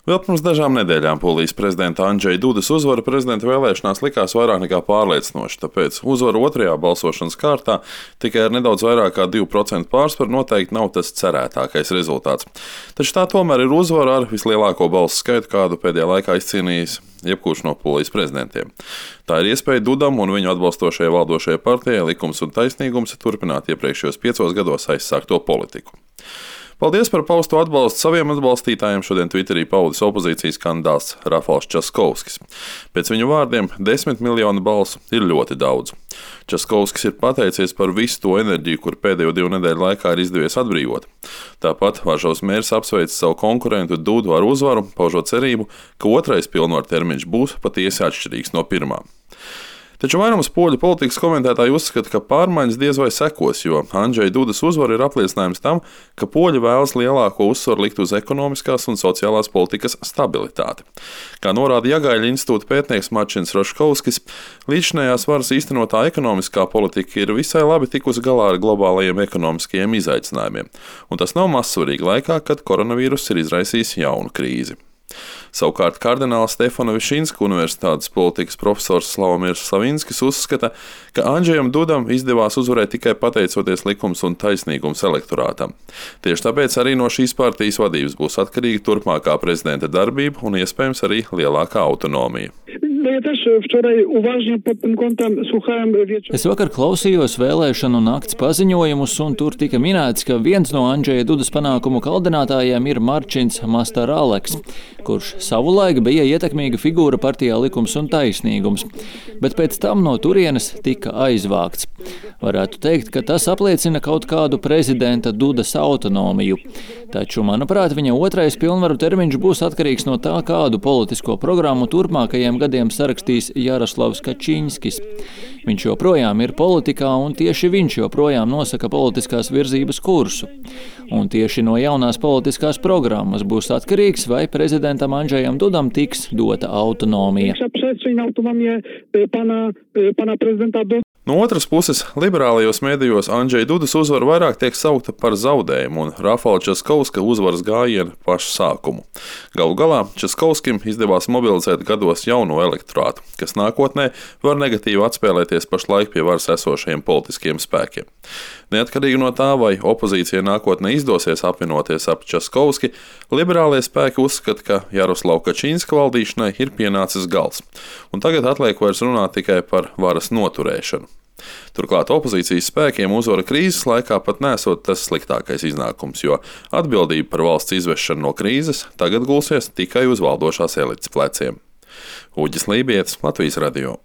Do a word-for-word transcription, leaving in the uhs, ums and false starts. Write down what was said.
Vēl pirms dažām nedēļām Polijas prezidenta Andžeja Dudas uzvara prezidenta vēlēšanās likās vairāk nekā pārliecinoša, tāpēc uzvara otrajā balsošanas kārtā tikai ar nedaudz vairāk kā divu procentu pārsvaru noteikti nav tas cerētākais rezultāts. Taču tā tomēr ir uzvara ar vislielāko balsu skaitu, kādu pēdējā laikā izcīnījis jebkurš no Polijas prezidentiem. Tā ir iespēja Dudam un viņu atbalstošajai valdošajai partijai Likums un taisnīgums turpināt iepriekšējos piecos gados aizsākto politiku. Paldies par pausto atbalstu saviem atbalstītājiem, šodien Twitterī paudis opozīcijas kandidāts Rafals Časkovskis. Pēc viņu vārdiem desmit miljonu balsu ir ļoti daudz. Časkovskis ir pateicies par visu to enerģiju, kur pēdējo divu nedēļu laikā ir izdevies atbrīvot. Tāpat Varšavas mērs apsveic savu konkurentu Dudu ar uzvaru, paužot cerību, ka otrais pilnvaru termiņš būs patiesi atšķirīgs no pirmā. Taču vairums poļu politikas komentētāji uzskata, ka pārmaiņas diez vai sekos, jo Andžeja Dudas uzvara ir apliecinājums tam, ka poļi vēlas lielāko uzsvaru likt uz ekonomiskās un sociālās politikas stabilitāti. Kā norāda Jagaļa institūta pētnieks Marčins Roškovskis, līdzinējās varas īstenotā ekonomiskā politika ir visai labi tikusi galā ar globālajiem ekonomiskajiem izaicinājumiem, un tas nav mazsvarīgi laikā, kad koronavīrus ir izraisījis jaunu krīzi. Savukārt kardināla Stefana Višinska universitātes politikas profesors Slavomīrs Savinskis uzskata, ka Andžejam Dudam izdevās uzvarēt tikai pateicoties Likums un taisnīgums elektorātam. Tieši tāpēc arī no šīs partijas vadības būs atkarīga turpmākā prezidenta darbība un iespējams arī lielākā autonomija. Es vakar klausījos vēlēšanu nakts paziņojumus, un tur tika minēts, ka viens no Andžeja Dudas panākumu kaldinātājiem ir Marčins Mastaraleks, kurš savulaik bija ietekmīga figūra partijā Likums un taisnīgums, bet pēc tam no turienes tika aizvākts. Varētu teikt, ka tas apliecina kaut kādu prezidenta Dudas autonomiju. Taču, manuprāt, viņa otrais pilnvaru termiņš būs atkarīgs no tā, kādu politisko programmu turpmākajiem gadiem sarakstīs Jaroslavs Kačinskis. Viņš joprojām ir politikā, un tieši viņš joprojām nosaka politiskās virzības kursu. Un tieši no jaunās politiskās programmas būs atkarīgs, vai prezidentam Andžejam Dudam tiks dota autonomija. No otras puses, liberālajos mēdījos Andžeja Dudas uzvara vairāk tiek saukta par zaudējumu un Rafala Časkovska uzvaras gājienu pašu sākumu. Galu galā Časkovskim izdevās mobilizēt gados jauno elektorātu, kas nākotnē var negatīvi atspēlēties pašlaik pie varas esošajiem politiskiem spēkiem. Neatkarīgi no tā, vai opozīcija nākotnē izdosies apvienoties ap Časkovski, liberālie spēki uzskata, ka Jaroslava Kačinska valdīšanai ir pienācis gals, un tagad atliek vairs runāt tikai par varas noturēšanu. Turklāt opozīcijas spēkiem uzvara krīzes laikā pat nesot tas sliktākais iznākums, jo atbildība par valsts izvešanu no krīzes tagad gulsies tikai uz valdošās elites pleciem. Uģis Lībietis, Latvijas radio.